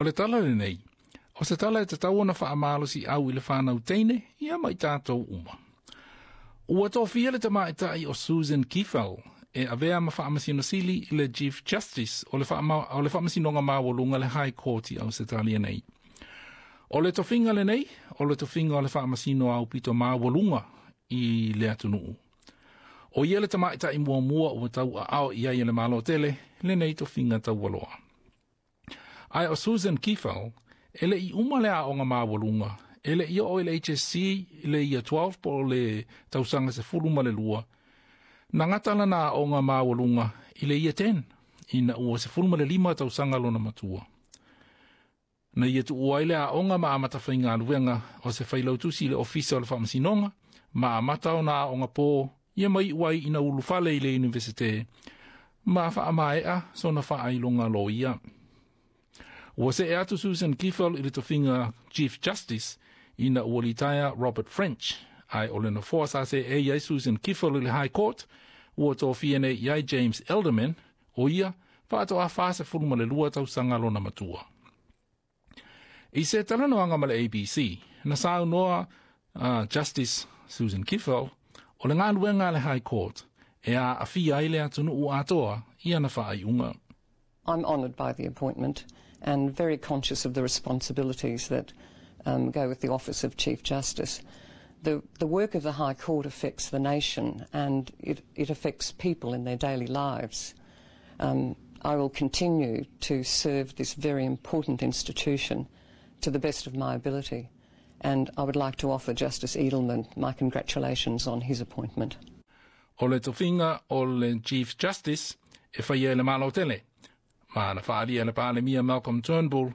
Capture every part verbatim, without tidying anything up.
O le tala lenei, o se tala e tatau ona faamalosiau i le fanau teine, ia ma i tatou uma. Ua tofia le tamaitai o Susan Kiefel e avea ma faamasino sili i le Chief Justice o le, faama, o le faamasinoga maualuga le High Court i Ausetalia nei. O le tofiga lenei, o le tofiga o le faamasino aupito maualuga i le atunuu. O ia le tamaitai muamua ua tauaao i ai e le Malo tele lenei tofiga taualoa. Ae o Susan Kiefel, e le i uma le aoga maualuga, e le i oo i le H S C i le Year twelve po o le tausaga sefulu ma le lua, na gata lana aoga maualuga i le Year ten, ina ua sefulu ma le lima tausaga lona matua. Na ia tuua ai le aoga ma amata faigaluega o se failautusi i le ofisa o le faamasinoga, ma amata ona aoga po ia ma iu ai ina ulufale i le Universite, ma faamaea sona faailoga loia. Ua see atu Susan Kiefel i le tofiga Chief Justice ina ua litaea Robert French, ae o le nofoa sa seei ai Susan Kiefel i le High Court, ua tofia nei i ai James Edelman, o ia faatoa fasefulu ma le lua tausaga lona matua. I se talanoaga ma le A B C, na saunoa uh, Justice Susan Kiefel, o le galuega a le High Court e aafia ai le atunuu atoa i ana faaiuga. I'm honoured by the appointment and very conscious of the responsibilities that um, go with the office of Chief Justice. The, the work of the High Court affects the nation and it, it affects people in their daily lives. Um, I will continue to serve this very important institution to the best of my ability, and I would like to offer Justice Edelman my congratulations on his appointment. O le tofiga o le Chief Justice e faia e le Malo tele, ma na faaalia e le Palemia Malcolm Turnbull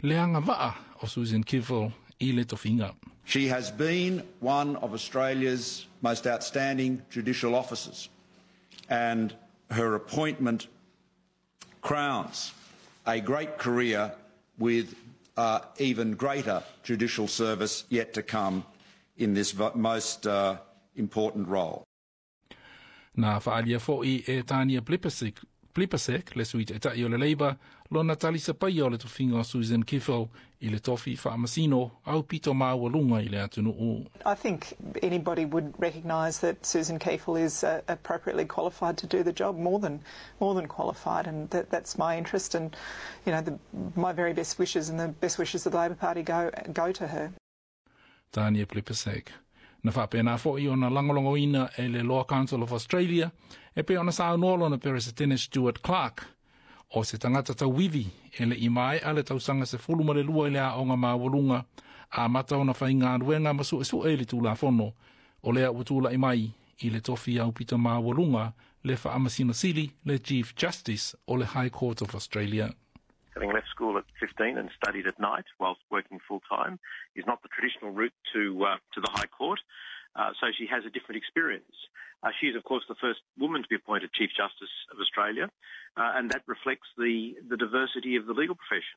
le agavaa o Susan Kiefel i le tofiga. She has been one of Australia's most outstanding judicial officers, and her appointment crowns a great career with uh, even greater judicial service yet to come in this most uh, important role. Na faaalia foi e Tania Plibersek, Plibersek le sui taitai o le Labour, lona talisapaia o le tofiga o Susan Kiefel i le tofi faamasino aupito maualuga i le atunuu. I think anybody would recognise that Susan Kiefel is uh, appropriately qualified to do the job, more than more than qualified, and that, that's my interest. And you know, the, my very best wishes and the best wishes of the Labor Party go go to her. Tania Plibersek. Na faapena foi ona lagolagoina e le Law Council of Australia e pei ona saunoa lona Peresetene Stuart Clark, o se tagata tauivi e le i maea le tausaga sefulu ma le lua i le aoga maualuga, amata ona faigaluega ma suesue i le tulafono, o lea ua tulai mai i le tofi aupito maualuga le faamasino sili, le Chief Justice o le High Court of Australia. Having left school at fifteen and studied at night whilst working full time is not the traditional route to uh, to the High Court. Uh, so she has a different experience. Uh, she is, of course, the first woman to be appointed Chief Justice of Australia, uh, and that reflects the, the diversity of the legal profession.